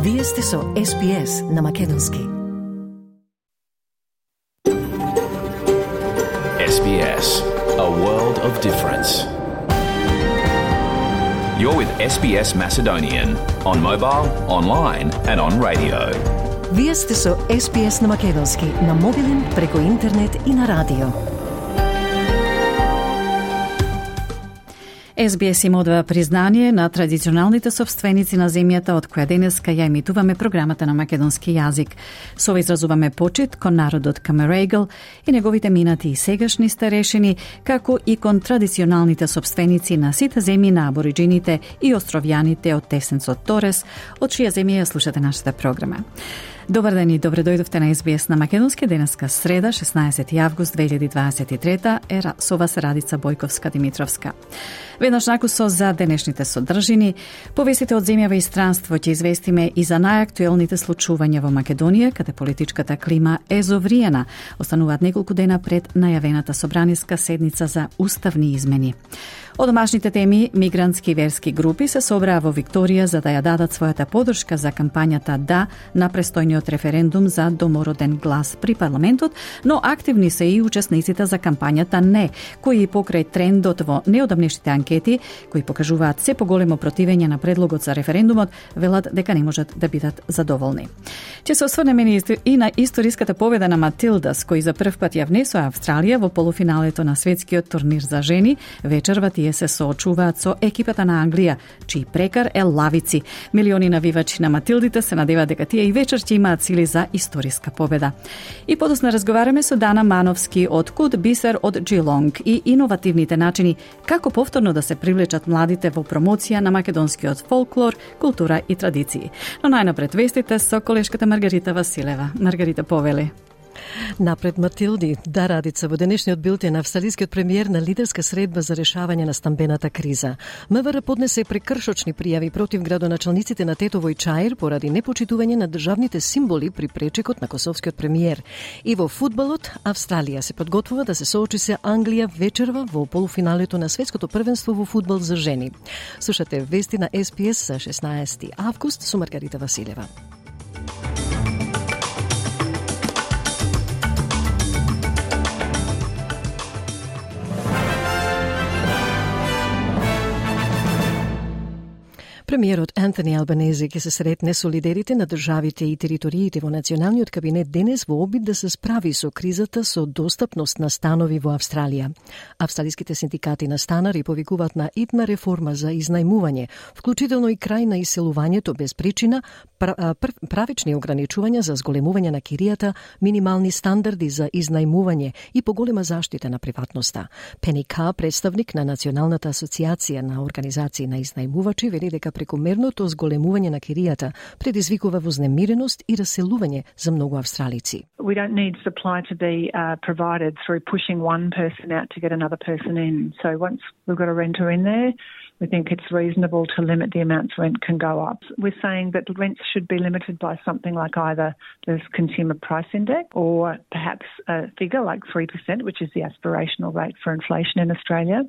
Вие сте со SBS на Македонски. SBS, a world of difference. You're with SBS Macedonian on mobile, online and on radio. Вие сте со SBS на Македонски на мобилен, преку интернет и на радио. SBS им одва признание на традиционалните собственици на земјата од која денеска ја емитуваме програмата на македонски јазик. Со ова изразуваме почит кон народот Камерегл и неговите минати и сегашни старешини, како и кон традиционалните собственици на сите земји на абориджините и островјаните од Тесенцот Торес, од чија земја ја слушате нашата програма. Добар ден и добре дојдовте на SBS на Македонски. Денеска среда, 16 август 2023, со вас Радица Бојковска-Димитровска. Веднаш накусо за денешните содржини, повестите од земјава и странство ќе известиме и за најактуелните случувања во Македонија, каде политичката клима е зовриена. Остануваат неколку дена пред најавената собраниска седница за уставни измени. Од домашните теми, мигрантски и верски групи се собраа во Викторија за да ја дадат својата поддршка за кампањата «Да» на престојниот референдум за домороден глас при парламентот, но активни се и учесниците за кампањата «Не», кои покрај трендот во неодамнешните анкети, кои покажуваат се поголемо противење на предлогот за референдумот, велат дека не можат да бидат задоволни. Ќе се осврнеме и на историската победа на Матилдас, кои за прв пат ја внесоа Австралија во полуфиналето на светскиот турнир за жени. Вечерва тие се соочуваат со екипата на Англија, чиј прекар е лавици. Милиони навивачи на Матилдите се надеваат дека тие и вечер ќе имаат сили за историска победа. И подосна разговараме со Дана Мановски од Куд Бисер од Джилонг и иновативните начини како повторно да се привлечат младите во промоција на македонскиот фолклор, култура и традиции. Но најнапред вестите со колешката Маргарита Василева. Маргарита, повели. Напред Матилди, да, Радица, во денешниот билтен австралискиот премиер на лидерска средба за решавање на стамбената криза. МВР поднесе прекршочни пријави против градоначалниците на Тетово и Чаир поради непочитување на државните символи при пречекот на косовскиот премиер. И во фудбалот, Австралија се подготвува да се соочи се Англија вечерва во полуфиналето на светското првенство во фудбал за жени. Слушате вести на SBS за 16 август со Маргарита Василева. Премиерот Антони Албанези ќе се сретне со лидерите на државите и териториите во националниот кабинет денес во обид да се справи со кризата со достапност на станови во Австралија. Австралиските синдикати на станари повикуваат на итна реформа за изнајмување, вклучително и крај на иселувањето без причина, правични ограничувања за зголемување на киријата, минимални стандарди за изнајмување и поголема заштита на приватноста. Пени Ка, представник на Националната асоциација на организации на изнајмувачи, вели дека прекомерното зголемување на киријата предизвикува вознемиреност и раселување за многу австралици. We don't need supply to be provided through pushing one person out to get another person in. So once we've got a renter in there, we think it's reasonable to limit the amounts rent can go up. We're saying that rents should be limited by something like either the Consumer Price Index or perhaps a figure like 3%, which is the aspirational rate for inflation in Australia.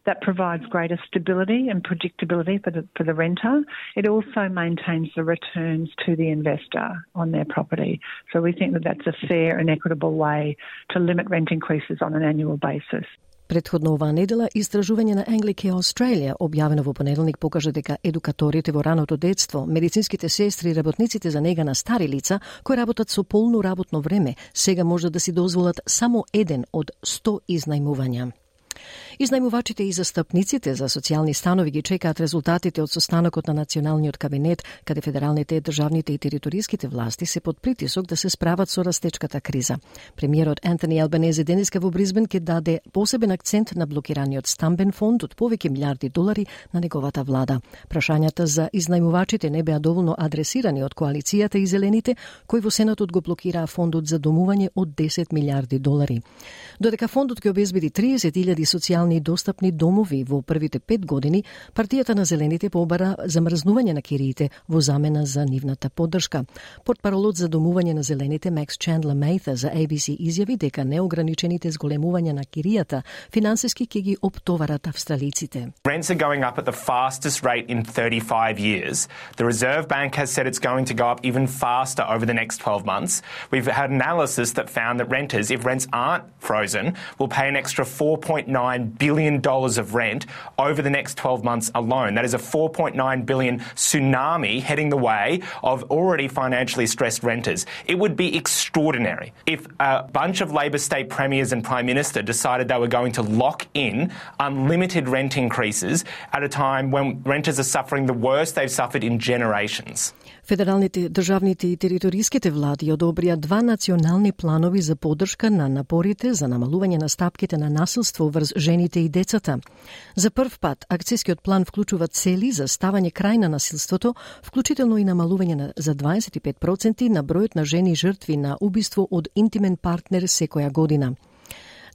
That provides greater stability and predictability for the renter. It also maintains the returns to the investor on their property. So we think that that's a fair and equitable way to limit rent increases on an annual basis. Предходно оваа недела, истражување на Anglicare Australia, објавено во понеделник, покажа дека едукаторите во раното детство, медицинските сестри и работниците за нега на стари лица, кои работат со полно работно време, сега може да си дозволат само еден од 100 изнајмувања. Изнајмувачите и застапниците за социјални станови ги чекаат резултатите од состанокот на Националниот кабинет, каде федералните, државните и териториските власти се под притисок да се справат со растечката криза. Премиерот Антони Албанези денеска во Бризбен ќе даде посебен акцент на блокираниот стамбен фонд од повеќе милиарди долари на неговата влада. Прашањата за изнајмувачите не беа доволно адресирани од коалицијата и зелените, кои во Сенатот го блокираа фондот за домување од 10 милиарди долари. Додека фондот ќе обезбеди 30.000 социјални социјални и достапни домови во првите 5 години, партијата на Зелените побара замрзнување на кириите во замена за нивната поддршка. Портпаролот за домување на Зелените Макс Чендлер Мејта за ABC изјави дека неограничените зголемување на киријата финансиски ќе ги оптоварат австралиците. Rents are going up at the fastest rate in 35 years. The Reserve Bank has said it's going to go up even faster over the next 12 months. We've had analysis that found that renters, if rents aren't frozen, will pay an extra $4.9 billion of rent over the next 12 months alone. That is a $4.9 billion tsunami heading the way of already financially stressed renters. It would be extraordinary if a bunch of Labor state premiers and Prime Minister decided they were going to lock in unlimited rent increases at a time when renters are suffering the worst they've suffered in generations. Федералните, државните и териториските влади одобрија 2 национални планови за поддршка на напорите за намалување на стапките на насилство врз жените и децата. За прв пат, акцијскиот план вклучува цели за ставање крај на насилството, вклучително и намалување за 25% на бројот на жени жртви на убиство од интимен партнер секоја година.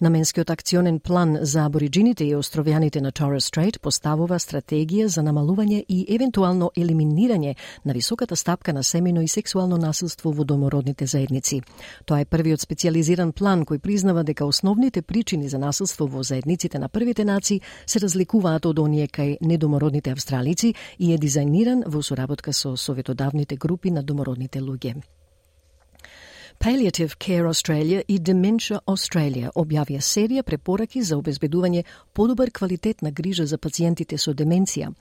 Наменскиот акционен план за абориджините и островјаните на Торес Стрейт поставува стратегија за намалување и евентуално елиминирање на високата стапка на семејно и сексуално насилство во домородните заедници. Тоа е првиот специјализиран план кој признава дека основните причини за насилство во заедниците на првите нации се разликуваат од оние кај недомородните австралици и е дизајниран во соработка со советодавните групи на домородните луѓе. Palliative Care Australia и Dementia Australia објавија серија препораки за обезбедување подобар квалитет на грижа за пациентите со деменција.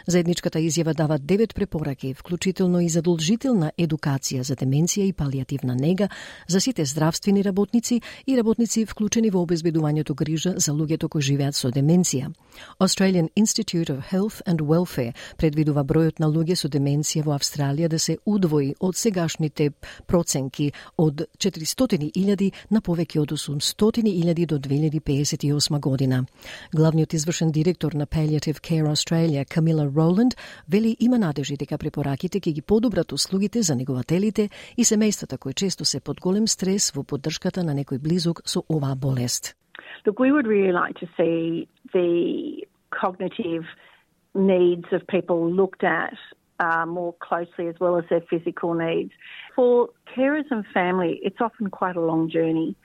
Заедничката изјава дава 9 препораки, вклучително и задолжителна едукација за деменција и палиативна нега за сите здравствени работници и работници вклучени во обезбедувањето грижа за луѓето кои живеат со деменција. Australian Institute of Health and Welfare предвидува бројот на луѓе со деменција во Австралија да се удвои од сегашните проценки од 400.000 на повеќе од 800.000 до 2058 година. Главниот извршен директор на Palliative Care Australia, Camilla Rowland, вели има надежи дека препораките ќе ги подобрат услугите за негователите и семејствата кои често се под голем стрес во поддршката на некој близок со оваа болест. Look, we would really like to see the cognitive needs of people looked at more closely, as well as their physical needs. For carers and family, it's often quite a long journey.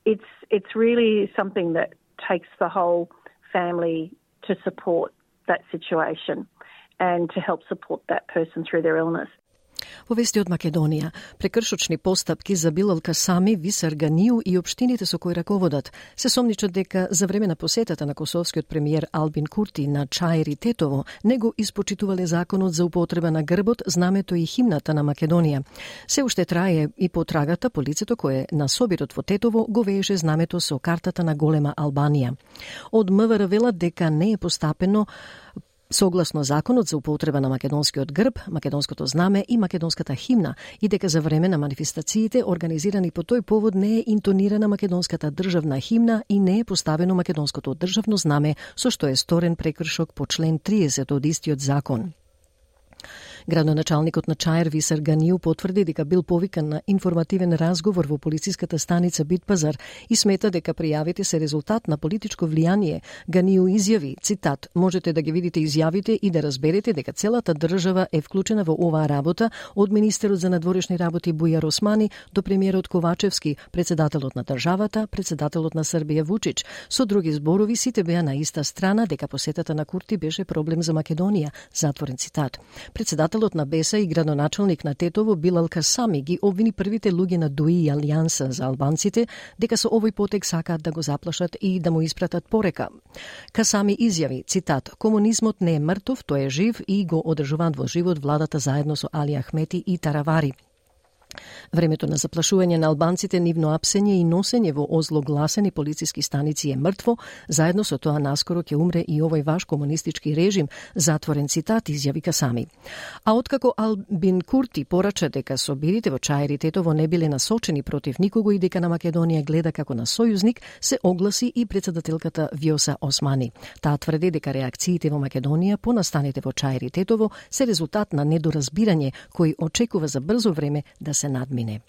It's really something that takes the whole family to support that situation and to help support that person through their illness. Во вести од Македонија, прекршочни постапки за Билал Касами, Висар Ганију и општините со кои раководат се сомничат дека за време на посетата на косовскиот премиер Албин Курти на Чаир и Тетово не го испочитувале законот за употреба на грбот, знамето и химната на Македонија. Се уште трае и потрагата по лицето кое на собирот во Тетово го вееше знамето со картата на голема Албанија. Од МВР велат дека не е постапено согласно законот за употреба на македонскиот грб, македонското знаме и македонската химна и дека за време на манифестациите организирани по тој повод не е интонирана македонската државна химна и не е поставено македонското државно знаме, со што е сторен прекршок по член 30 од истиот закон. Градоначалникот на Чаир Висар Ганију потврди дека бил повикан на информативен разговор во полициската станица Битпазар и смета дека пријавите се резултат на политичко влијание. Ганију изјави, цитат, можете да ги видите изјавите и да разберете дека целата држава е вклучена во оваа работа, од министерот за надворешни работи Бујар Османи до премиерот Ковачевски, председателот на државата, председателот на Србија Вучич. Со други зборови, сите беа на иста страна дека посетата на Курти беше проблем за Македонија, затворен цитат. Председателот на Беса и градоначалник на Тетово Билал Касами ги обвини првите луѓе на ДУИ и Алијанса за албанците дека со овој потек сакаат да го заплашат и да му испратат порека. Касами изјави, цитат, комунизмот не е мртов, тој е жив и го одржуваат во живот владата заедно со Али Ахмети и Таравари. Времето на заплашување на албанците, нивно апсење и носење во озлогласени полициски станици е мртво, заедно со тоа наскоро ќе умре и овој ваш комунистички режим, затворен цитат, изјави Касами. А откако Албин Курти порача дека собирите во Чаир и Тетово не биле насочени против никого и дека на Македонија гледа како на сојузник, се огласи и председателката Вјоса Османи. Таа тврди дека реакциите во Македонија по настаните во Чаир и Тетово се резултат на недоразбирање кој очекува за брзо време да се надмине.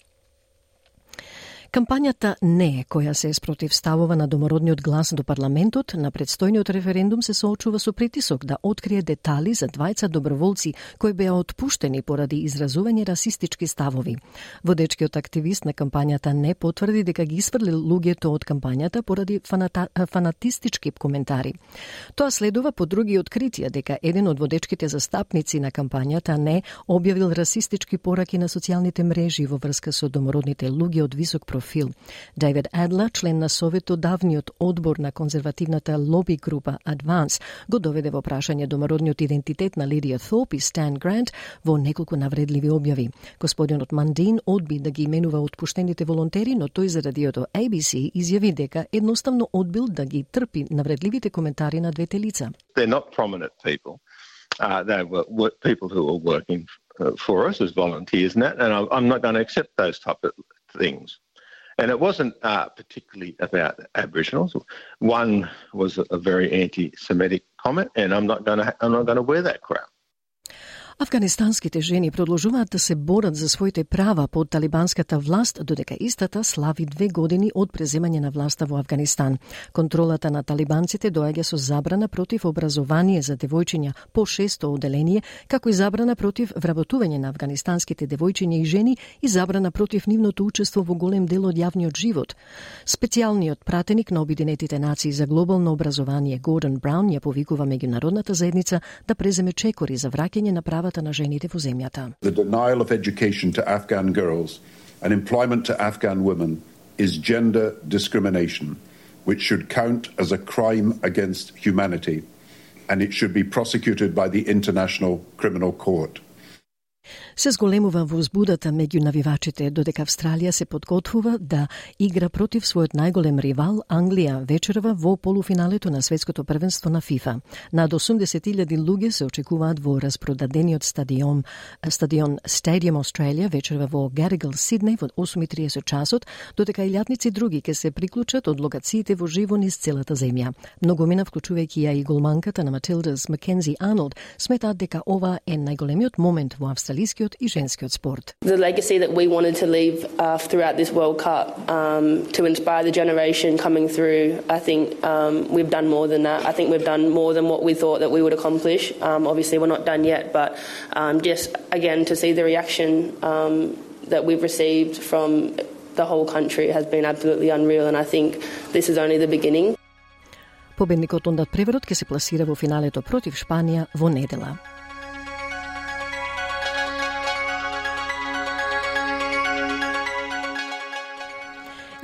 Кампањата не, која се спротивставува на домородниот глас до парламентот, на предстојниот референдум се соочува со притисок да открие детали за двајца доброволци кои беа отпуштени поради изразување расистички ставови. Водечкиот активист на кампањата не потврди дека ги исфрли луѓето од кампањата поради фанатистички коментари. Тоа следува по други откритија дека еден од водечките застапници на кампањата не објавил расистички пораки на социјалните мрежи во врска со домородните луѓе од висок профил. Дейвид Адла, член на советодавниот одбор на конзервативната лоби група Advance, го доведе во прашање домородниот идентитет на Лидија Thorpe и Stan Grant во неколку навредливи објави. Господинот Мандин одби да ги именува отпуштените волонтери, но тој за радиото ABC изјави дека едноставно одбил да ги трпи навредливите коментари на двете лица. They're not prominent people. They were people who were working for us as volunteers and that, and I'm not going to accept those type of things. And it wasn't particularly about Aboriginals. One was a very anti-Semitic comment, and I'm not going to wear that crown. Афганистанските жени продолжуваат да се борат за своите права под талибанската власт, додека истата слави 2 години од преземање на власта во Афганистан. Контролата на талибанците доаѓа со забрана против образование за девојчиња по 600 оделение, како и забрана против вработување на афганистанските девојчиња и жени и забрана против нивното учество во голем дел од јавниот живот. Специјалниот пратеник на Обединетите нации за глобално образование Гордон Браун ја повикува меѓународната заедница да преземе чекори за враќање на правата на жените во земјата. The denial of education to Afghan girls and employment to Afghan women is gender discrimination, which should count as a crime against humanity, and it should be prosecuted by the International Criminal Court. Се зголемува возбудата меѓу навивачите, додека Австралија се подготвува да игра против својот најголем ривал Англија вечерва во полуфиналето на светското првенство на ФИФА. Над 80.000 луѓе се очекуваат во распродадениот стадион Stadium Australia вечерва во Gadigal, Сиднеј во 8:30 часот, додека илјадници други ќе се приклучат од локациите во живо низ целата земја. Многумина, вклучувајќи ја и голманката на Матилдас Макензи Арнолд, сметаат дека ова е најголемиот момент во австралискиот и женскиот спорт. The legacy that we wanted to leave throughout this World Cup to inspire the generation coming through, I think we've done more than that. I think we've done more than what we thought that we would accomplish. Obviously we're not done yet, but just again to see the reaction that we've received from the whole country has been absolutely unreal, and I think this is only the beginning. Победникот ондат преворот ќе се пласира во финалето против Шпанија во недела.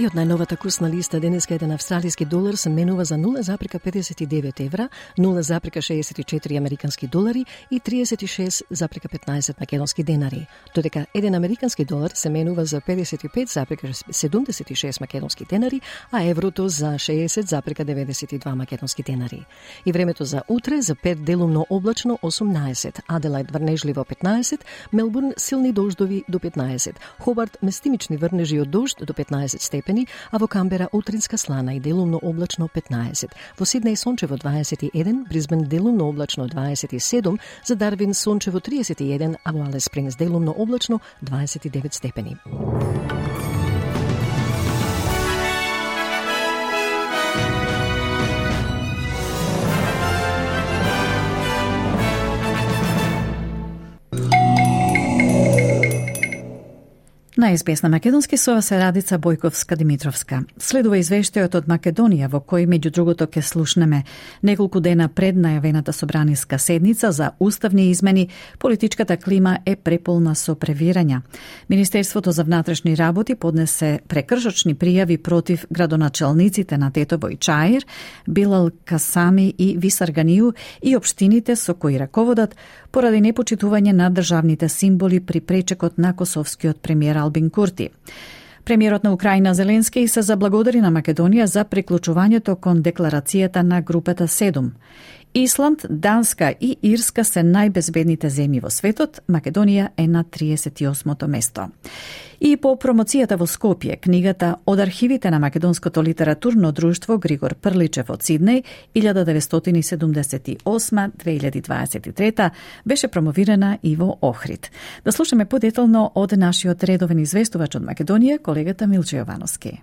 И од најновата курсна листа денеска еден австралиски долар се менува за 0,59 евра, 0,64 американски долари и 36,15 македонски денари, додека еден американски долар се менува за 55,76 македонски денари, а еврото за 60,92 македонски денари. И времето за утре за Перт делумно облачно 18, Аделајд врнежливо 15, Мелбурн силни дождови до 15, Хобарт местимични врнежи од дожд до 15 степени, а во Камбера утринска слана и делумно облачно 15. Во Сиднеј сончево 21, Брисбен делумно облачно 27, за Дарвин сончево 31, а во Алис Спрингс делумно облачно 29 степени. На СБС на македонски со вас е Радица Бојковска-Димитровска. Следува извештајот од Македонија во кој меѓу другото ќе слушнеме неколку дена пред најавената собраниска седница за уставни измени, политичката клима е преполна со превирања. Министерството за внатрешни работи поднесе прекршочни пријави против градоначалниците на Тетово и Чаир, Билал Касами и Висарганију и општините со кои раководат поради непочитување на државните символи при пречекот на косовскиот премиер Албин Курти. Премиерот на Украина Зеленски се заблагодари на Македонија за приклучувањето кон декларацијата на групата 7. Исланд, Данска и Ирска се најбезбедните земји во светот, Македонија е на 38-то место. И по промоцијата во Скопје, книгата Од архивите на Македонското литературно друштво Григор Прличев од Сиднеј 1978-2023 беше промовирана и во Охрид. Да слушаме подетално од нашиот редовен известувач од Македонија, колегата Милче Јовановски.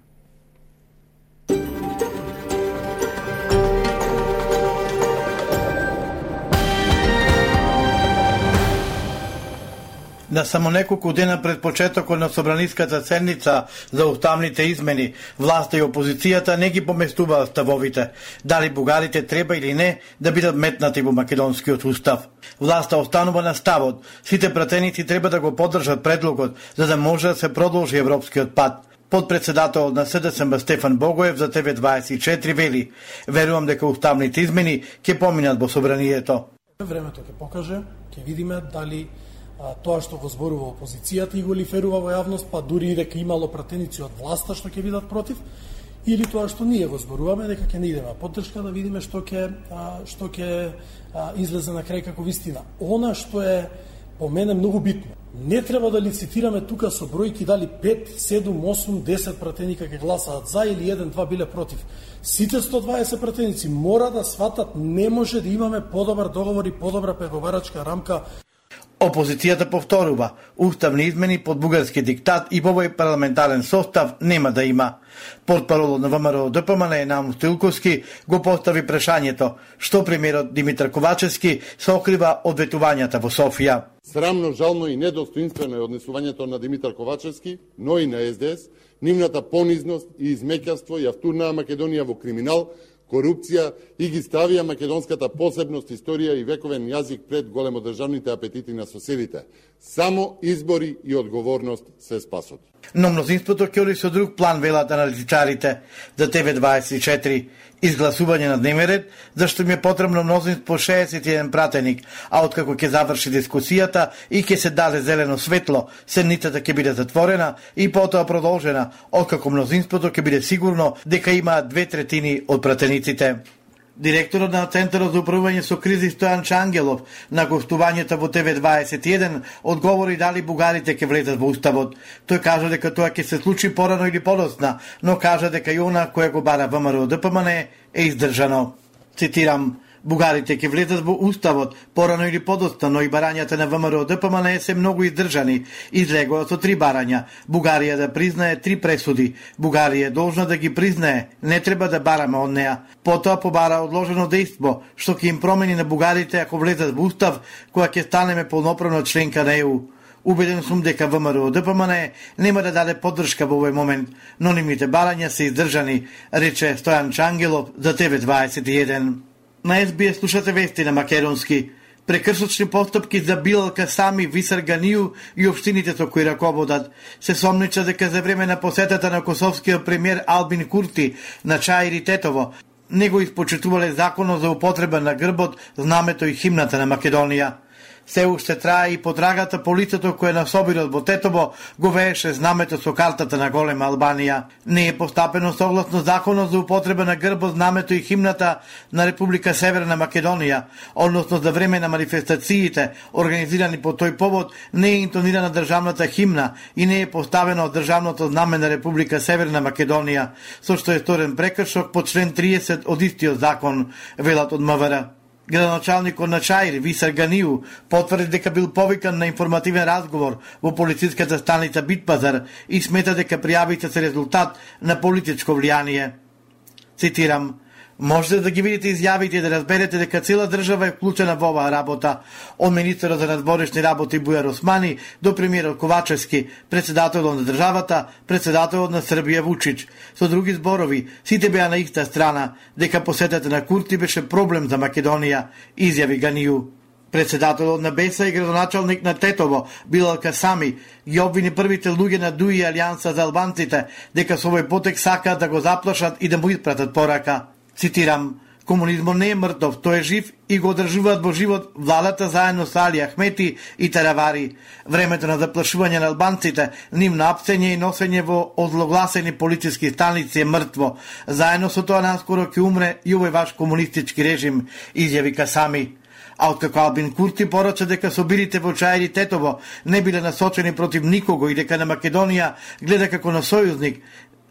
На само неколку дена пред почетокот на собраниската седница за уставните измени, власта и опозицијата не ги поместуваат ставовите, дали бугарите треба или не да бидат метнати во македонскиот устав. Власта останува на ставот, сите пратеници треба да го поддржат предлогот, за да може да се продолжи европскиот пат. Подпредседателот на СДСМ Стефан Богоев за ТВ24 вели: "Верувам дека уставните измени ќе поминат во собранието. Времето ќе покаже, ќе видиме дали тоа што го зборува опозицијата и го лиферува во јавност, па дури и дека имало пратеници од власта што ќе бидат против, или тоа што ние го зборуваме дека ќе не идеме поддршка, да видиме што ќе излезе на крај како вистина. Она што е по мене многу битно, не треба да лицитираме тука со бројки дали 5, 7, 8, 10 пратеника ќе гласаат за или 1-2 биле против. Сите 120 пратеници мора да сватат, не може да имаме подобар договор и подобра преговарачка рамка. Опозицијата повторува, уставни измени под бугарски диктат и во овој парламентарен состав нема да има. Портпаролот на ВМРО ДПМН Енам Стилковски го постави прашањето што премиерот Димитар Ковачевски се окрива од ветувањата во Софија. Срамно, жално и недостоинствено е однесувањето на Димитар Ковачевски, но и на СДС, нивната понизност и измеќарство ја втурнаа Македонија во криминал, корупција и ги ставија македонската посебност, историја и вековен јазик пред големодржавните апетити на соседите. Само избори и одговорност се спасот. Но мнозинството ќе оди со друг план, велат аналитичарите. За ТВ24 изгласување на дневен ред, зашто им е потребно мнозинство 61 пратеник, а откако ќе заврши дискусијата и ќе се даде зелено светло, седницата ќе биде затворена и потоа продолжена, откако мнозинството ќе биде сигурно дека има 2/3 од пратениците. Директорот на Центарот за управување со кризи Стојан Чангелов на гостувањето во ТВ21 одговори дали бугарите ќе влезат во уставот. Тој кажа дека тоа ќе се случи порано или подоцна, но кажа дека и она која го бара ВМРО ДПМН е издржано. Цитирам: "Бугарите ќе влезат во уставот порано или подоцна, но и барањата на ВМРО ДПМН се многу издржани. Излегува со 3 барања. Бугарија да признае 3 пресуди. Бугарија е должна да ги признае, не треба да бараме од неа. Потоа побара одложено дејство, што ќе им промени на бугарите ако влезат во устав, која ќе станеме полноправна членка на ЕУ. Убеден сум дека ВМРО ДПМН нема да даде поддршка во овој момент, но нивните барања се издржани", рече Стојан Чангелов за ТВ21. На СБС слушате вести на македонски. Прекршочни постапки за Билал Касами, Висар Ганију и општините со кои раководат. Се сомнича дека за време на посетата на косовскиот премиер Албин Курти на Чаир и Тетово, него испочитувале законот за употреба на грбот, знамето и химната на Македонија. Се уште трае и потрагата по лицето кое на собирот во Тетово го вееше знамето со картата на Голема Албанија. Не е постапено согласно законот за употреба на грбот, знамето и химната на Република Северна Македонија, односно за време на манифестациите организирани по тој повод не е интонирана државната химна и не е поставено државното знаме на Република Северна Македонија, со што е сторен прекршок по член 30 од истиот закон, велат од МВР. Градоначалникот на Чаир, Висар Ганију, потврди дека бил повикан на информативен разговор во полициската станица Битпазар и смета дека пријавите се резултат на политичко влијание. Цитирам: "Можете да ги видите изјавите и да разберете дека цела држава е вклучена во оваа работа, од министерот за надворешни работи Бујар Османи до премиерот Ковачевски, председателот на државата, председателот на Србија Вучич. Со други зборови, сите беа на иста страна, дека посетата на Курти беше проблем за Македонија", изјави Ганију. Председателот на БЕСА и градоначалник на Тетово, Билал Касами, ги обвини првите луѓе на ДУИ Алијанса за албанците дека со овој потек сакаат да го заплашат и да му испратат порака. Цитирам: Комунизмот не е мртов, тој е жив и го одржуваат во живот владата заедно со Али Ахмети и Таравари. Времето на заплашување на албанците, нивно апсење и носење во озлогласени полициски станици е мртво. Заедно со тоа наскоро ќе умре и овој ваш комунистички режим, изјави Касами. А откако Албин Курти порача дека собирите во Чаир и Тетово не биле насочени против никого и дека на Македонија гледа како на сојузник,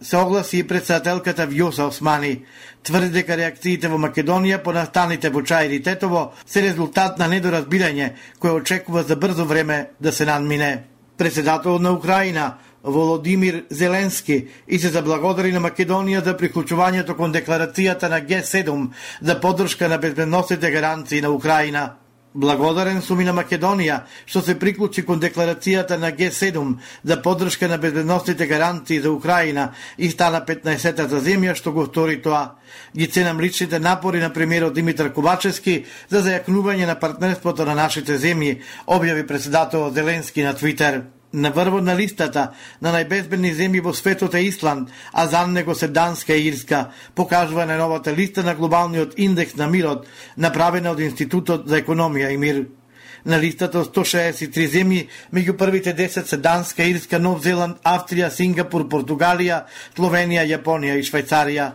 се огласи и председателката Вјоса Османи. Тврди дека реакциите во Македонија по настаните во Чаир и Тетово се резултат на недоразбирање кој очекува за брзо време да се надмине. Председателот на Украина Володимир Зеленски и се заблагодари на Македонија за приклучувањето кон декларацијата на Г7 за поддршка на безбедносните гаранции на Украина. Благодарен сум и на Македонија што се приклучи кон декларацијата на Г7 за поддршка на безбедносните гаранции за Украина и стана 15-та земја што го стори тоа. Ги ценам личните напори на премиерот Димитар Ковачевски за зајакнување на партнерството на нашите земји, објави председателот Зеленски на Твитер. На врвот на листата на најбезбедни земји во светот е Исланд, а за него се Данска и Ирска, покажува на новата листа на глобалниот индекс на мирот, направена од Институтот за економија и мир. На листата од 163 земји, меѓу првите 10 се Данска, Ирска, Нов Зеланд, Австрија, Сингапур, Португалија, Словенија, Јапонија и Швајцарија.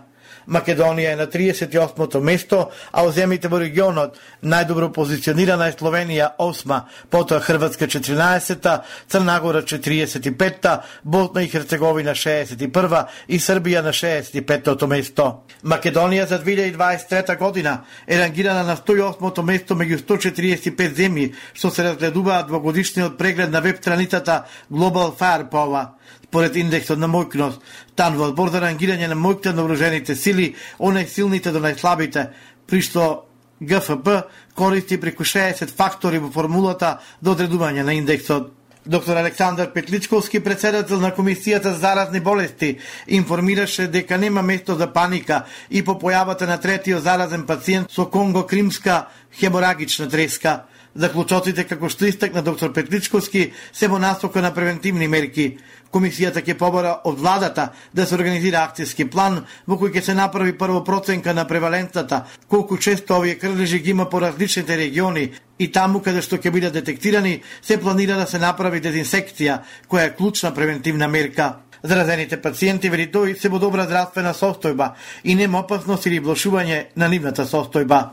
Македонија е на 38-то место, а во земјите во регионот најдобро позиционирана е Словенија 8-ма, потоа Хрватска 14-та, Црна Гора 45-та, Босна и Херцеговина 61-ва и Србија на 65-то место. Македонија за 2023 година е рангирана на 108-то место меѓу 145 земји, што се разгледуваат во годишниот преглед на веб страницата Global Firepower. Според индексот на мојкност, станува одбор за рангирање на мојките на вооружените сили, од најсилните до најслабите, при што ГФБ користи преку 60 фактори во формулата до одредување на индексот. Доктор Александар Петличковски, председател на Комисијата за заразни болести, информираше дека нема место за паника и по појавата на третиот заразен пациент со конго-кримска хеморагична треска. Заклучоците, како што истакна доктор Петличковски, се во насока на превентивни мерки. Комисијата ќе побара од владата да се организира акцијски план во кој ќе се направи прво проценка на превалентата, колку често овие крвежи ги има по различните региони и таму каде што ќе бидат детектирани, се планира да се направи дезинсекција, која е клучна превентивна мерка. Заразените пациенти, вели тој, се во добра здравствена состојба и нема опасност или влошување на нивната состојба.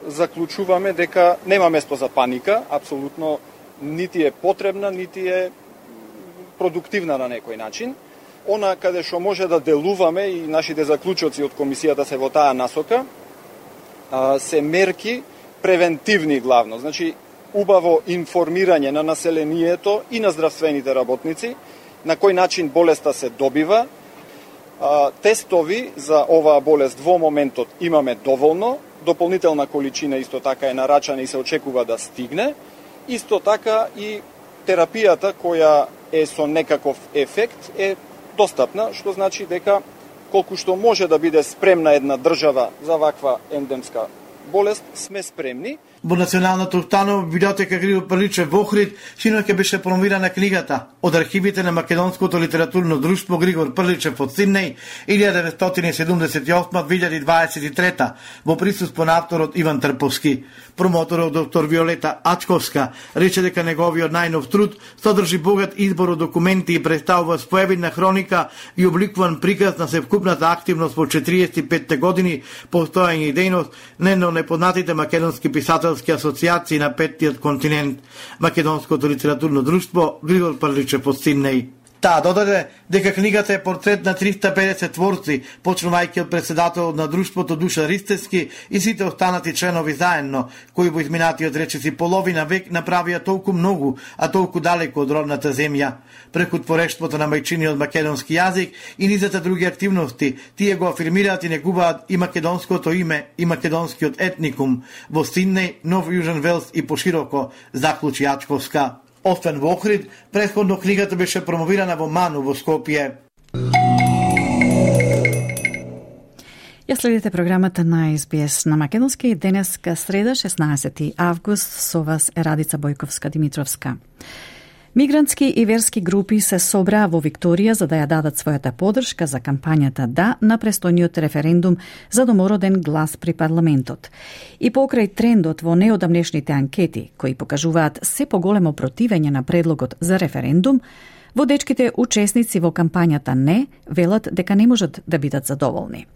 Заклучуваме дека нема место за паника, апсолутно нити е потребна, нити е продуктивна на некој начин. Она каде што може да делуваме и нашите заклучоци од комисијата се во таа насока, се мерки превентивни главно. Значи, убаво информирање на населението и на здравствените работници, на кој начин болеста се добива. Тестови за оваа болест во моментот имаме доволно, дополнителна количина исто така е нарачана и се очекува да стигне. Исто така и терапијата која е со некаков ефект е достапна, што значи дека колку што може да биде спремна една држава за ваква ендемска болест, сме спремни. Во Националната установа библиотека Григор Прличев во Охрид синоќ беше промовирана книгата од архивите на Македонското литературно друштво Григор Прличев од Сиднеј 1978-2023 во присуство на авторот Иван Трповски. Промоторот доктор Виолета Ачковска рече дека неговиот најнов труд содржи богат избор од документи и представува споевидна хроника и обликуван приказ на севкупната активност во 45 години постојање и дејност на непознатите македонски писатели асоциации на петтиот континент, Македонското литературно друштво Григор Прличев од Сиднеј. Таа додаде дека книгата е портрет на 350 творци, почнувајќи од председателот на друштвото Душан Ристевски и сите останати членови заедно, кои во изминатиот речиси половина век направија толку многу, а толку далеку од родната земја. Преку творештвото на мајчиниот македонски јазик и низата други активности, тие го афирмираат и негуваат и македонското име и македонскиот етникум во Сиднеј, Нов Јужен Велс и пошироко, заклучи Ачковска. Освен во Охрид, претходно книгата беше промовирана во Ману во Скопје. Ја следите програмата на СБС на македонски и денеска среда 16 август со вас е Радица Бојковска Димитровска. Мигрантски и верски групи се собраа во Викторија за да ја дадат својата поддршка за кампањата «Да» на престојниот референдум за домороден глас при парламентот. И покрај трендот во неодамнешните анкети, кои покажуваат се поголемо противење на предлогот за референдум, водечките учесници во кампањата «Не» велат дека не можат да бидат задоволни.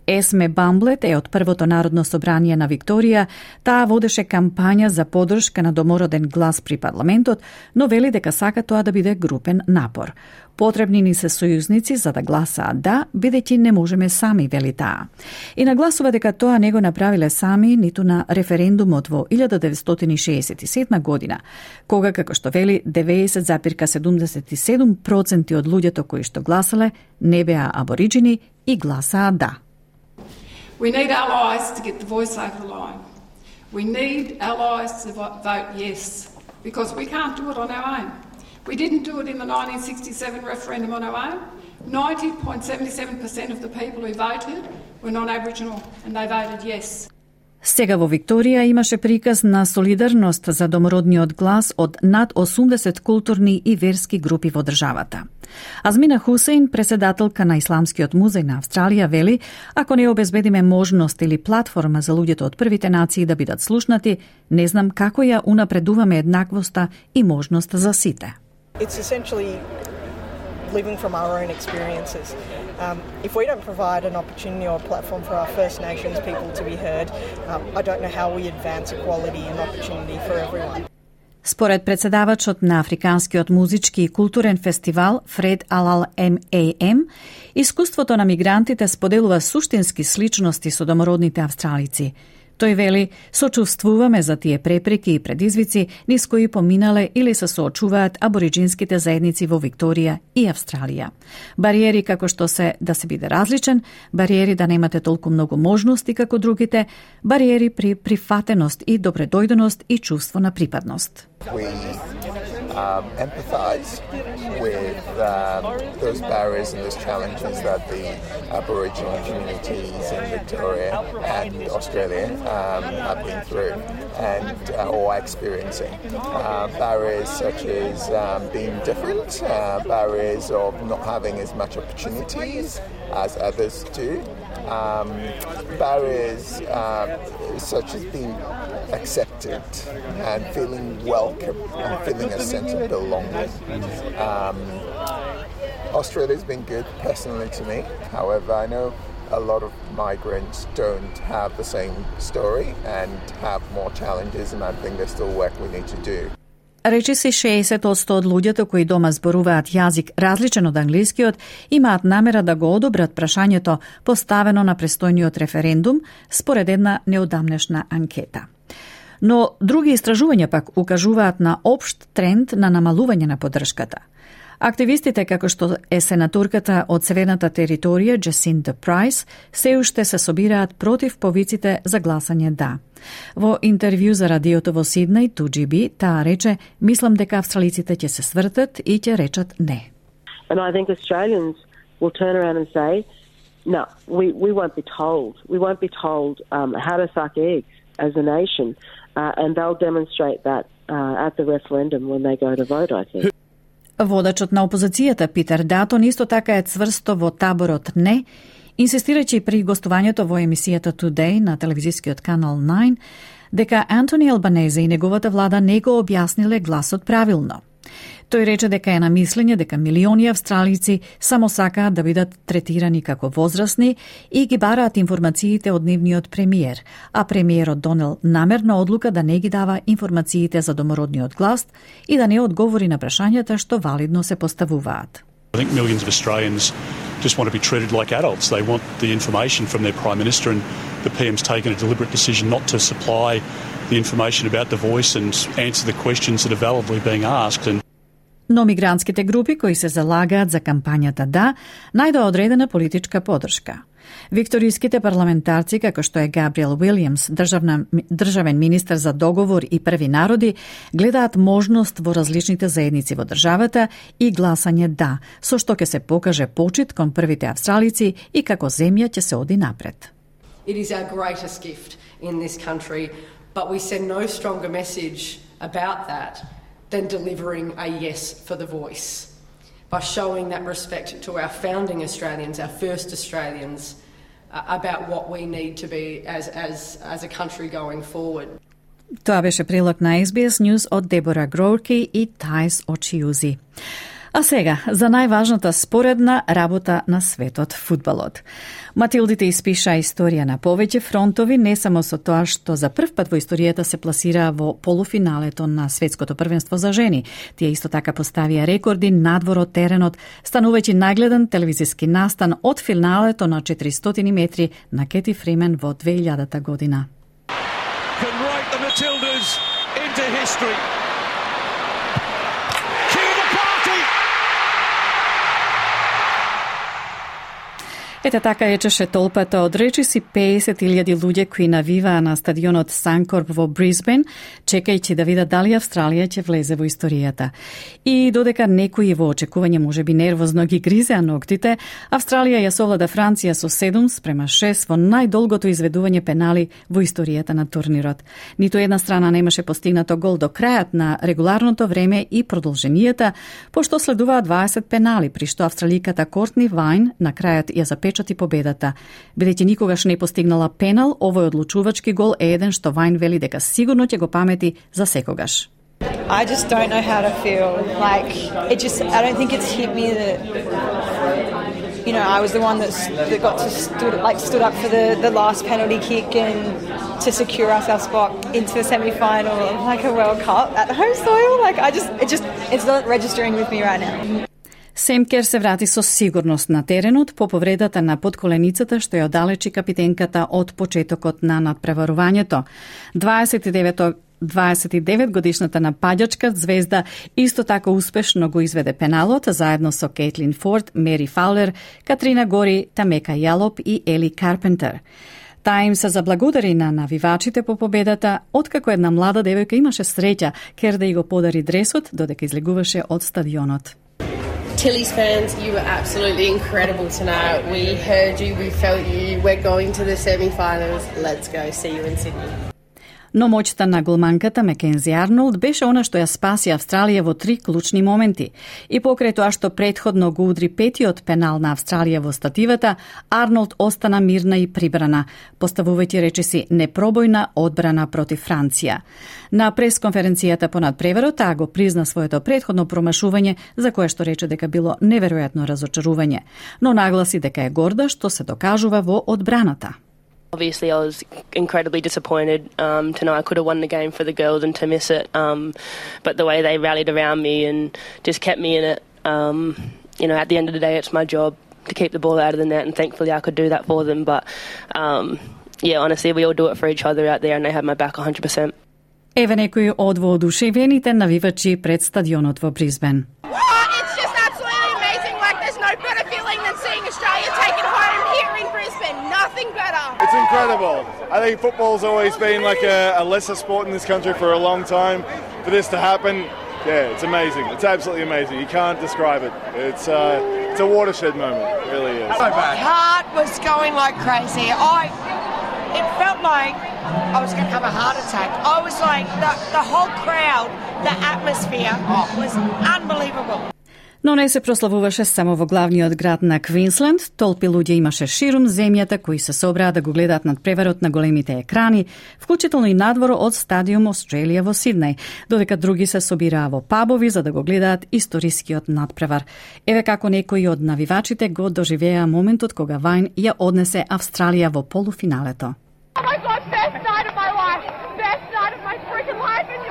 Есме Бамблет е од првото Народно собрание на Викторија. Таа водеше кампања за поддршка на домороден глас при парламентот, но вели дека сака тоа да биде групен напор. Потребни ни се сојузници за да гласаат «Да», бидејќи не можеме сами, вели таа. И нагласува дека тоа не го направиле сами ниту на референдумот во 1967 година, кога, како што вели, 90,77% од луѓето кои што гласале не беа абориджини и гласаа «Да». We need allies to get the voice over the line. We need allies to vote yes, because we can't do it on our own. We didn't do it in the 1967 referendum on our own. 90.77% of the people who voted were non-Aboriginal and they voted yes. Сега во Викторија имаше приказ на солидарност за домородниот глас од над 80 културни и верски групи во државата. Азмина Хусейн, председателка на Исламскиот музеј на Австралија, вели, ако не обезбедиме можност или платформа за луѓето од првите нации да бидат слушнати, не знам како ја унапредуваме еднаквоста и можност за сите. It's essentially living from our own experiences. If we don't provide an opportunity or a platform for our First Nations people to be heard, I don't know how we advance equality and opportunity for everyone. Според председавачот на Африканскиот музички и културен фестивал Фред Алал МАМ, искуството на мигрантите споделува суштински сличности со домородните австралици. Тој вели, сочувствуваме за тие препреки и предизвици низ кои поминале или се соочуваат абориджинските заедници во Викторија и Австралија. Бариери како што се да се биде различен, бариери да немате толку многу можности како другите, бариери при прифатеност и добредојденост и чувство на припадност. Empathize with those barriers and those challenges that the Aboriginal communities in Victoria and Australia have been through and or experiencing. Barriers such as being different, barriers of not having as much opportunities as others do, barriers such as being accepted and feeling welcome and feeling a sense of belonging. Australia's been good personally to me. However, I know a lot of migrants don't have the same story and have more challenges, and I think there's still work we need to do. Речиси 60% од луѓето кои дома зборуваат јазик различен од англискиот имаат намера да го одобрат прашањето поставено на престојниот референдум според една неодамнешна анкета. Но други истражувања пак укажуваат на општ тренд на намалување на поддршката. Активистите, како што е сенаторката од Северната територија Джасинта Прайс, се уште се собираат против повиците за гласање «Да». Во интервју за радиото во Сиднеј, 2GB, таа рече, мислам дека австралиците ќе се свртат и ќе речат «Не». And I think Australians will turn around and say, no, we won't be told. We won't be told how to suck eggs as a nation. And they'll demonstrate that at the referendum when they go to vote, I think. Водачот на опозицијата Питер Датон исто така е цврсто во таборот «Не», инсистирајќи при гостувањето во емисијата Today на телевизискиот канал 9 дека Антони Албанезе и неговата влада не го објасниле гласот правилно. Тој рече дека е на мислење дека милиони австралици само сакаат да бидат третирани како возрастни и ги бараат информациите од нивниот премиер, а премиерот донел намерна одлука да не ги дава информациите за домородниот глас и да не одговори на прашањата што валидно се поставуваат. I think millions of Australians just want to be treated like adults. They want the information from their Prime Minister, and the PM's taken a deliberate decision not to supply the information about the voice and answer the questions that are validly being asked. Но мигрантските групи кои се залагаат за кампањата «Да» најдоа одредена политичка поддршка. Викторијските парламентарци, како што е Габриел Уилјамс, државен министер за договор и први народи, гледаат можност во различните заедници во државата и гласање «Да», со што ќе се покаже почит кон првите австралици и како земја ќе се оди напред. It is our greatest gift in this country, but we send no stronger message about that than delivering a yes for the voice. By showing that respect to our founding Australians, our first Australians, about what we need to be as a country going forward. Тоа беше прилог на SBS News од Дебора Гроурки и Тајс Очиузи. А сега, за најважната споредна работа на светот, фудбалот. Матилдите испиша историја на повеќе фронтови, не само со тоа што за прв пат во историјата се пласира во полуфиналето на светското првенство за жени. Тие исто така поставија рекорди надвор од теренот, станувајќи најгледан телевизиски настан од финалето на 400 метри на Кети Фримен во 2000 година. Can write the Matildas into history. Ете така ечеше толпата од речиси 50.000 луѓе кои навиваа на стадионот Санкорп во Брисбен, чекајќи да видат дали Австралија ќе влезе во историјата. И додека некои во очекување можеби нервозно ги гризеа ноктите, Австралија ја совлада Франција со 7-6 во најдолгото изведување пенали во историјата на турнирот. Ниту една страна немаше постигнато гол до крајот на регуларното време и продолженијата, пошто следуваа 20 пенали, при што австраликата Кортни Вајн на крајот ја запечати победата. Бидејќи никогаш не постигнала пенал, овој одлучувачки гол е еден што Вајн вели дека сигурно ќе го памети за секогаш. I just don't know how to feel. Like, I don't think it's hit me that, you know, I was the one that got to stood up for the last penalty kick and to secure us our spot into the semi-final of like a World Cup at home soil. Like, it's not registering with me right now. Семкер се врати со сигурност на теренот по повредата на подколеницата што ја оддалечи капитенката од почетокот на надпреварувањето. 29 годишната напаѓачка звезда исто така успешно го изведе пеналот заедно со Кейтлин Форд, Мери Фаулер, Катрина Гори, Тамека Јалоп и Ели Карпентер. Таа им се заблагодари на навивачите по победата, откако една млада девојка имаше среќа кер да ја го подари дресот додека излегуваше од стадионот. Tilly's fans, you were absolutely incredible tonight. We heard you, we felt you. We're going to the semi-finals. Let's go. See you in Sydney. Но моќта на голманката Макензи Арнолд беше она што ја спаси Австралија во 3 клучни моменти. И покрај тоа што претходно го удри петиот пенал на Австралија во стативата, Арнолд остана мирна и прибрана, поставувајќи речиси непробојна одбрана против Франција. На пресконференцијата по надпреварот таа го призна своето претходно промашување, за кое што рече дека било неверојатно разочарување, но нагласи дека е горда што се докажува во одбраната. Obviously, I was incredibly disappointed to know I could have won the game for the girls and to miss it. But the way they rallied around me and just kept me in it, you know, at the end of the day, it's my job to keep the ball out of the net, and thankfully I could do that for them. But yeah, honestly, we all do it for each other out there, and they have my back 100%. Еве некои од воодушевените навивачи пред стадионот во Брисбен. It's just absolutely amazing. Like, there's no better feeling than seeing Australia take it home here in Brisbane. Nothing better. It's incredible. I think football's always been like a lesser sport in this country for a long time. For this to happen, yeah, it's amazing. It's absolutely amazing. You can't describe it. It's a watershed moment. It really is. My heart was going like crazy. It felt like I was going to have a heart attack. I was like, the whole crowd, the atmosphere was unbelievable. Но не се прославуваше само во главниот град на Квинсленд, толпи луѓе имаше ширум земјата кои се собраа да го гледаат надпреварот на големите екрани, вклучително и надвор од стадиум Австралија во Сиднеј, додека други се собираа во пабови за да го гледаат историскиот надпревар. Еве како некои од навивачите го доживеа моментот кога Вајн ја однесе Австралија во полуфиналето. Oh my God, best night of my life. Best night of my freaking life. And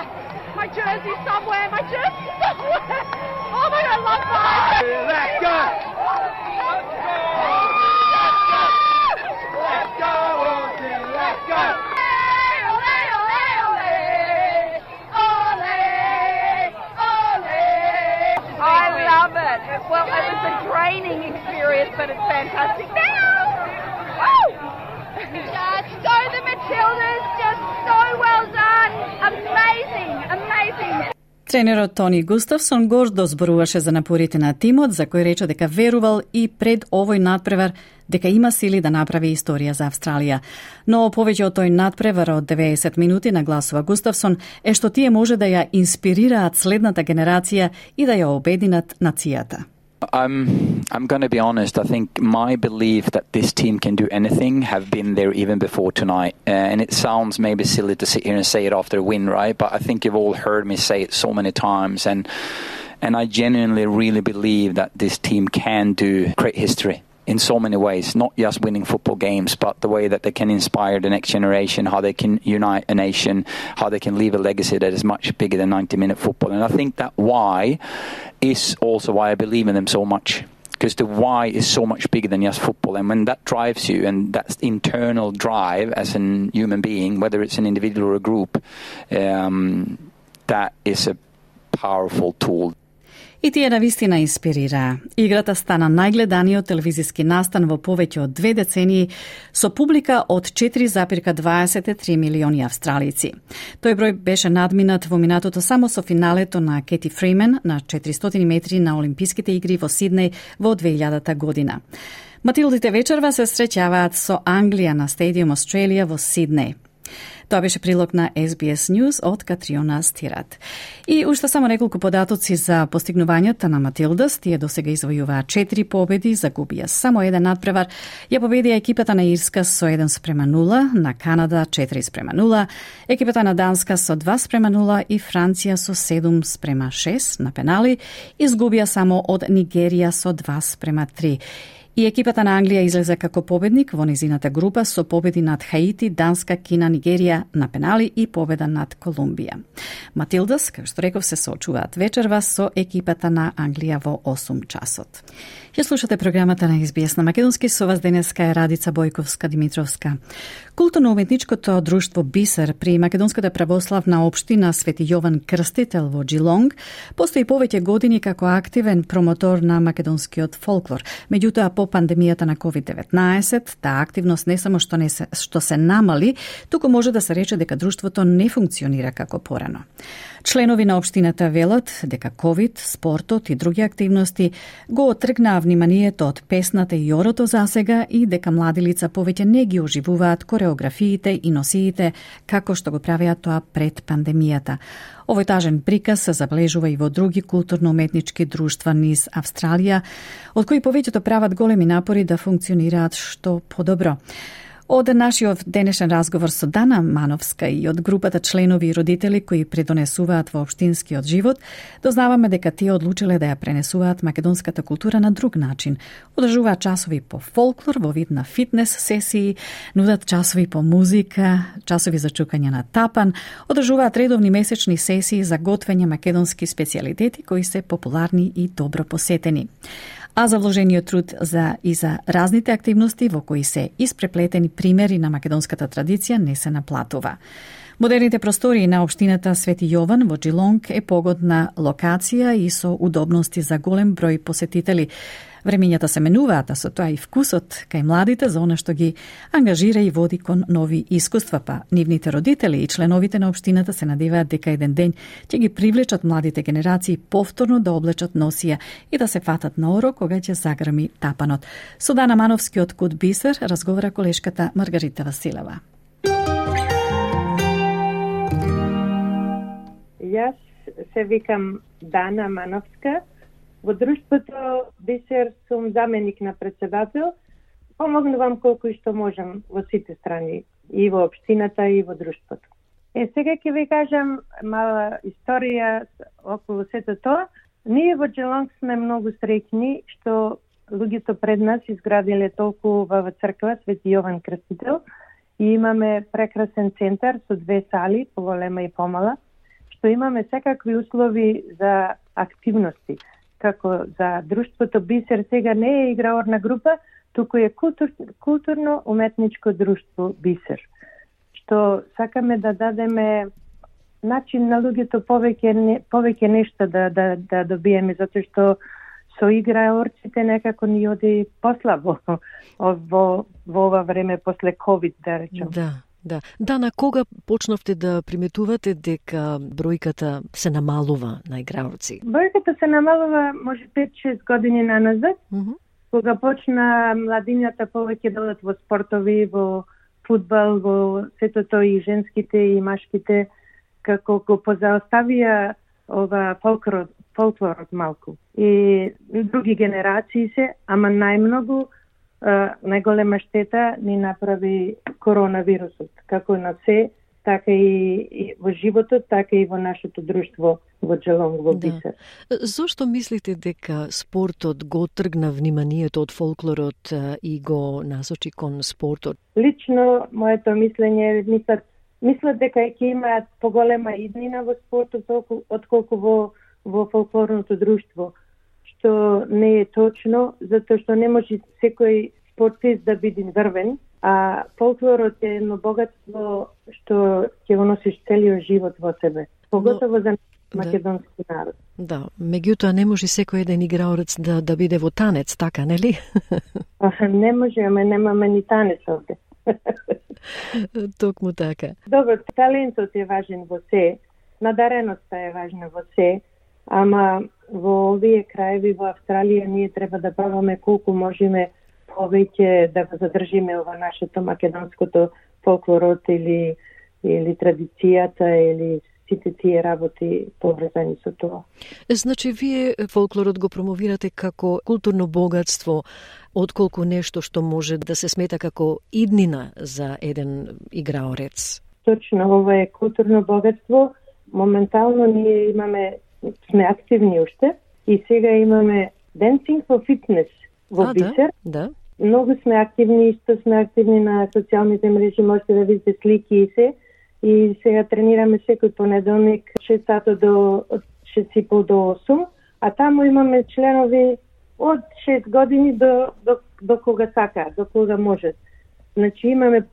my jersey somewhere. My jersey somewhere. Oh my God, I love mine. Let's go. Let's go. Let's go. I love it. Well, it was a draining experience, but it's fantastic now. Woo! Just go the Matildas, just so well done. Amazing, amazing. Тренерот Тони Густавсон гордо зборуваше за напорите на тимот, за кој рече дека верувал и пред овој надпревар дека има сили да направи историја за Австралија. Но повеќе од тој надпревар од 90 минути, нагласува Густавсон, е што тие може да ја инспирираат следната генерација и да ја обединат нацијата. I'm going to be honest. I think my belief that this team can do anything have been there even before tonight. And it sounds maybe silly to sit here and say it after a win, right? But I think you've all heard me say it so many times. And I genuinely really believe that this team can do great history in so many ways, not just winning football games, but the way that they can inspire the next generation, how they can unite a nation, how they can leave a legacy that is much bigger than 90-minute football. And I think that why is also why I believe in them so much, because the why is so much bigger than just football. And when that drives you, and that's the internal drive as a human being, whether it's an individual or a group, that is a powerful tool. И тие навистина инспирираа. Играта стана најгледаниот телевизиски настан во повеќе од 2 децении со публика од 4,23 милиони австралици. Тој број беше надминат во минатото само со финалето на Кети Фримен на 400 метри на Олимписките игри во Сиднеј во 2000 година. Матилдите вечерва се среќаваат со Англија на Стадиум Australia во Сиднеј. Тоа беше прилог на SBS News од Катриона Стират. И уште само неколку податоци за постигнувањата на Матилдас. Тие досега извојуваа 4 победи, загубија само еден надпревар. Ја победија екипата на Ирска со 1:0, на Канада 4:0, екипата на Данска со 2:0 и Франција со 7:6 на пенали. Изгубија само од Нигерија со 2:3. И екипата на Англија излезе како победник во низината група со победи над Хаити, Данска, Кина, Нигерија на пенали и победа над Колумбија. Матилдас, како што реков, се соочуваат вечерва со екипата на Англија во 8 часот. Ја слушате програмата на SBS на македонски, со вас денеска е Радица Бојковска-Димитровска. Културно-уметничкото друштво Бисер при Македонската православна општина Свети Јован Крстител во Джилонг постои повеќе години како активен промотор на македонскиот фолклор. Меѓутоа, по пандемијата на COVID-19, таа активност не само што се намали, туку може да се рече дека друштвото не функционира како порано. Членови на општината велат дека COVID, спортот и други активности го отргнаа вниманието од песната и орото засега и дека млади лица повеќе не ги оживуваат кореографиите и носиите како што го правеа тоа пред пандемијата. Овој тажен приказ се забележува и во други културно-уметнички друштва низ Австралија, од кои повеќето прават големи напори да функционираат што подобро. Од нашиот денешен разговор со Дана Мановска и од групата членови и родители кои придонесуваат во општинскиот живот, дознаваме дека тие одлучиле да ја пренесуваат македонската култура на друг начин. Одржуваат часови по фолклор во вид на фитнес сесии, нудат часови по музика, часови за чукање на тапан, одржуваат редовни месечни сесии за готвење македонски специјалитети кои се популарни и добро посетени. А за вложениот труд за разните активности во кои се испреплетени примери на македонската традиција не се наплатува. Модерните простории на општината Свети Јован во Джилонг е погодна локација и со удобности за голем број посетители. Времењата се менуваат, а со тоа и вкусот кај младите за она што ги ангажира и води кон нови искуства, па нивните родители и членовите на општината се надеваат дека еден ден ќе ги привлечат младите генерации повторно да облечат носија и да се фатат на оро кога ќе загрми тапанот. Со Дана Мановски од Кут Бисер разговара колешката Маргарита Василева. Јас се викам Дана Мановска. Во друштвото Бисер сум заменик на председател. Помогнувам колку и што можам во сите страни, и во општината и во друштвото. Сега ќе ви кажам мала историја околу сето тоа. Ние во Джилонг сме многу среќни што луѓето пред нас изградиле толку убава црква Свети Јован Крстител и имаме прекрасен центар со 2 сали, поголема и помала, што имаме секакви услови за активности. Како за друштвото Бисер сега не е играорна група, туку е културно-уметничко друштво Бисер. Што сакаме да дадеме начин на луѓето повеќе нешто да добиеме, затоа што со играорците некако ни оди послабо во ова време после COVID, да речем. Да. Да, на кога почнавте да приметувате дека бројката се намалува на играорци? Бројката се намалува може 5-6 години наназад, кога почна младињата повеќе да одат во спортови, во фудбал, во сето тоа и женските и машките, како го позаоставија ова фолклорот малку. И други генерации се, ама најмногу најголема штета ни направи коронавирусот, како на се, така и во животот, така и во нашето друштво во Джелонг, во Бисер. Зошто мислите дека спортот го тргна вниманието од фолклорот и го насочи кон спортот? Лично, моето мислење е, мислат дека ќе имаат поголема иднина во спортот отколку во фолклорното друштво, што не е точно, затоа што не може секој спортист да биде врвен, а фолклорот е едно богатство што ќе го носиш целиот живот во себе, поготово за македонски народ. Да, меѓутоа не може секој еден играорец да биде во танец, така, нели? Не може, ама немаме ни танец овде. Токму така. Добро, талентот е важен во се, надареноста е важна во се, ама во овие краеви во Австралија ние треба да правиме колку можеме повеќе да го задржиме ова нашето македонското фолклорот или традицијата или сите тие работи поврзани со тоа. Значи, вие фолклорот го промовирате како културно богатство, отколку нешто што може да се смета како иднина за еден играорец. Точно, ова е културно богатство. Моментално ние сме активни уште и сега имаме Dancing for Fitness во Бисер. Да. Многу сме активни, исто сме активни на социјалните мрежи, можете да видите слики и се. И сега тренираме секој понеделник 6 сата од 6:30 до 8, а таму имаме членови од 6 години до кога сака, до кога може. Значи имаме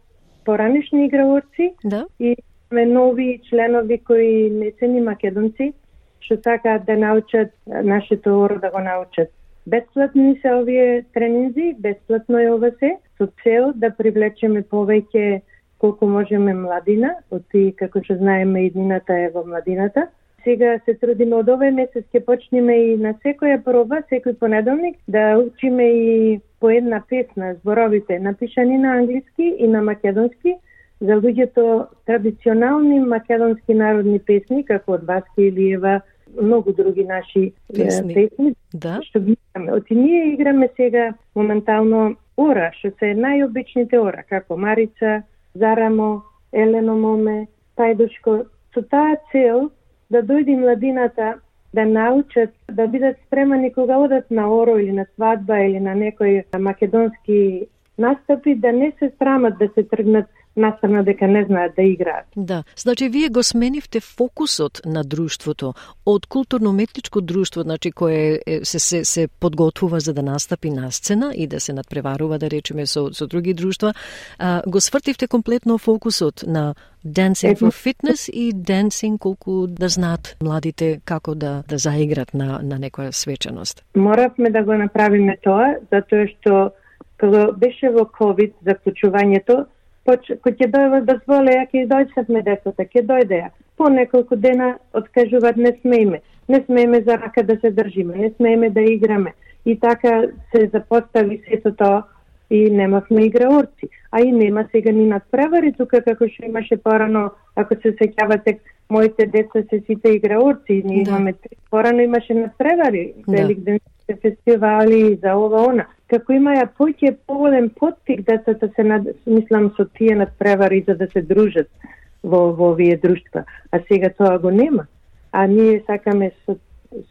поранешни играорци и имаме нови членови кои не се ни македонци, што сакаат да научат нашето оро, да го научат. Бесплатни се овие тренинзи, бесплатно е ова се, со цел да привлечеме повеќе колку можеме младина, оти како што знаеме иднината е во младината. Сега се трудиме од овој месец ќе почнеме и на секоја проба, секој понеделник да учиме и по една песна, зборовите напишани на англиски и на македонски, за луѓето традиционални македонски народни песни, како од Васка Илиева, многу други наши песни, што ги играме. Оти ние играме сега моментално ора, што се најобичните ора, како Марица, Зарамо, Елено Моме, Тајдушко, со таа цел да дојде младината да научат, да бидат спремани кога одат на оро или на свадба или на некој македонски настапи, да не се срамат да се тргнат настрана дека не знаат да играат. Да, значи вие го сменивте фокусот на друштвото од културно-уметничко друштво, значи кое се подготвува за да настапи на сцена и да се надпреварува, да речеме, со други друштва, го свртивте комплетно фокусот на Dancing for Fitness и Dancing колку да знаат младите како да заиграт на некоја свечаност. Моравме да го направиме тоа, затоа што кога беше во COVID заклучувањето, кој ќе дозволеа, ќе дојдевме децата, ќе дојдеа. По неколку дена откажуваат не смееме за рака да се држиме, не смееме да играме. И така се запостави сето тоа и немавме играорци. А и нема сега ни надпревари тука како што имаше порано, ако се сеќавате, моите деца се сите играорци, ние имаме порано имаше надпревари, великденските фестивали за ова она. Како имаја поголем поттик децата мислам со тие надпревари за да се дружат во овие друштва. А сега тоа го нема. А ние сакаме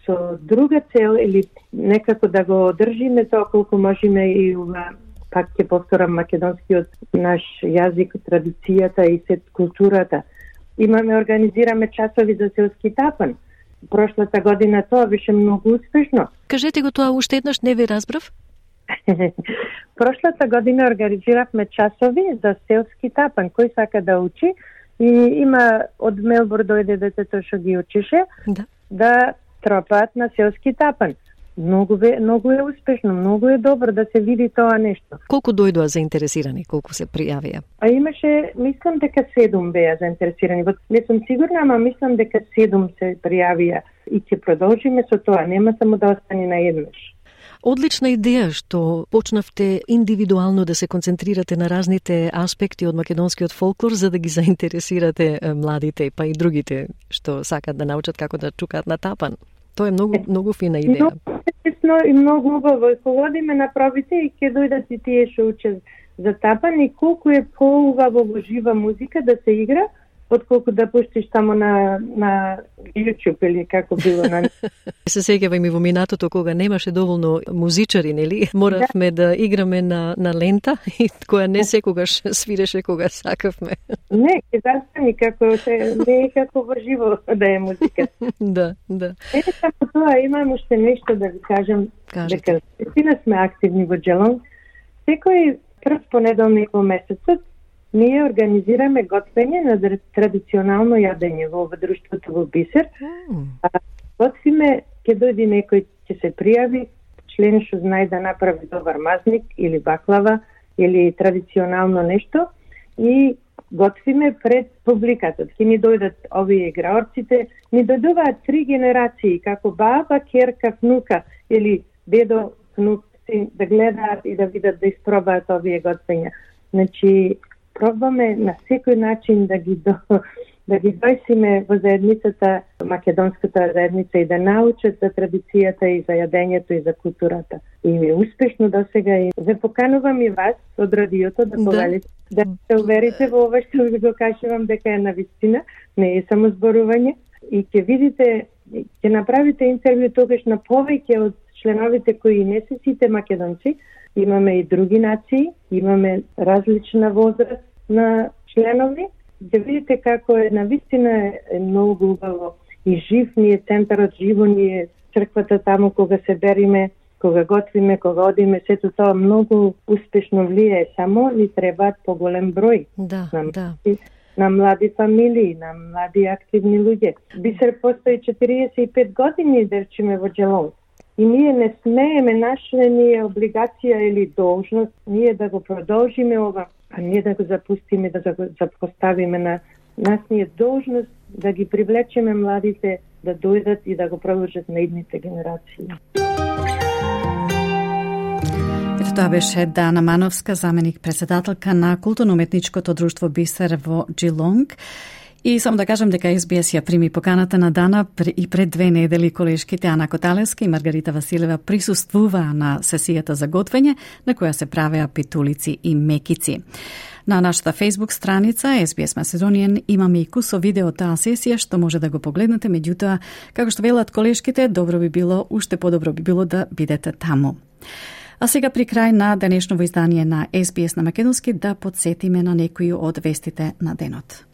со друга цел или некако да го одржиме тоа колку можеме и ова, пак ќе повторам, македонскиот наш јазик, традицијата и сет културата. Организираме часови за селски тапан. Прошлата година тоа беше многу успешно. Кажете го тоа уште еднаш, не ви разбрав. Прошлата година организиравме часови за селски тапан. Кој сака да учи и има од Мелбурн дојде детето што ги учише да тропаат на селски тапан. многу е успешно, многу е добро да се види тоа нешто. Колку дојдоа заинтересирани, колку се пријавија? Имаше, мислам дека 7 беа заинтересирани. Не сум сигурна, ама мислам дека 7 се пријавија и ќе продолжиме со тоа, нема само да остане на еднаш. Одлична идеја што почнавте индивидуално да се концентрирате на разните аспекти од македонскиот фолклор за да ги заинтересирате младите па и другите што сакат да научат како да чукаат на тапан. Тоа е многу фина идеја. И многу убаво. Кога одиме на пробите и ќе дојдат и тие што учат за тапан и колку е поубаво во жива музика да се игра, отколку да пуштиш само на YouTube или како било на... Се сеќавам и во минатото кога немаше доволно музичари, нели? Моравме да играме на лента и која не секогаш свиреше кога сакавме. Не, ќе застани не е како во живо да е музика. Да. Не само тоа, имам уште нешто да ви кажам, дека вистина сме активни во Джелонг. Секој прв понеделник во месецот ние организираме готвење на традиционално јадење во друштвото во Бисер. Готвиме, ќе дојде некој, ќе се пријави, член што знае да направи добар мазник или баклава или традиционално нешто и готвиме пред публиката. Ќе ни дојдат овие играорците, ни дојдуваат 3 генерации, како баба, керка, внука или дедо, внук, да гледаат и да видат, да испробаат овие готвења. Значи, пробваме на секој начин да ги дојсиме во заедницата, македонската заедница и да научат за традицијата и за јадењето и за културата. И успешно досега и ве поканувам и вас од радиото да повелите, да се уверите во ова што ви го кажувам дека е навистина, не е само зборување и ќе видите, ќе направите интервју тогаш на повеќе од членовите кои не се сите македонци. Имаме и други нации, имаме различна возраст на членови. Да видите како е навистина е многу убаво и жив ни е центарот, живо ни е црквата таму кога се бериме, кога готвиме, кога одиме, сето тоа многу успешно влијае. Само ни требаат поголем број на млади фамилии, на млади активни луѓе. Бисер постои 45 години, да речеме, во Джелонг. И ние не смееме, наша ни е облигација или должност, ние да го продолжиме ова, а не да го запустиме, да го запоставиме на нас ни е должност да ги привлечеме младите да дојдат и да го продолжат на идните генерации. Ето тоа беше Дана Мановска, заменик председателка на културно-уметничкото друштво Бисер во Джилонг. И само да кажам дека SBS ја прими поканата на Дана и пред 2 недели колешките Ана Коталевска и Маргарита Василева присуствуваа на сесијата за готвење на која се правеа питулици и мекици. На нашата Facebook страница SBS Macedonian имаме и кусо видео таа сесија што може да го погледнете, меѓутоа како што велат колешките, уште подобро би било да бидете таму. А сега при крај на денешново издание на SBS на македонски да подсетиме на некои од вестите на денот.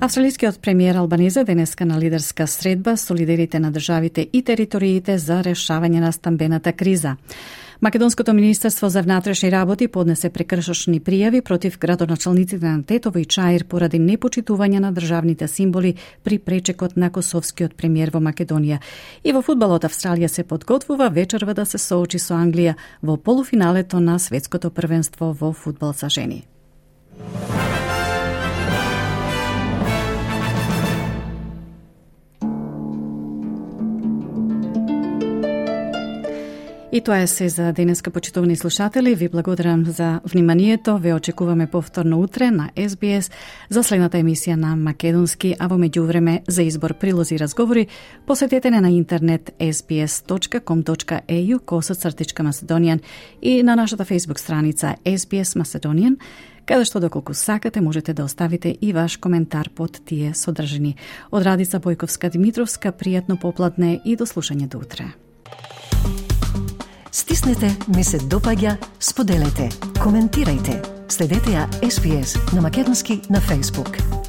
Австралискиот премиер Албанезе денеска на лидерска средба со лидерите на државите и териториите за решавање на стамбената криза. Македонското министерство за внатрешни работи поднесе прекршочни пријави против градоначалниците на Тетово и Чаир поради непочитување на државните символи при пречекот на косовскиот премиер во Македонија. И во фудбалот Австралија се подготвува вечерва да се соочи со Англија во полуфиналето на светското првенство во фудбал за жени. И тоа е се за денеска, почитувани слушатели. Ви благодарам за вниманието. Ве очекуваме повторно утре на SBS за следната емисија на македонски, а во меѓувреме за избор прилози и разговори посетете не на интернет sbs.com.au/Macedonian и на нашата Facebook страница SBS Macedonian, каде што доколку сакате можете да оставите и ваш коментар под тие содржини. Од Радица Бојковска-Димитровска, пријатно попладне и до слушање до утре. Стиснете, ми се допаѓа, споделете, коментирајте. Следете ја SBS на македонски на Facebook.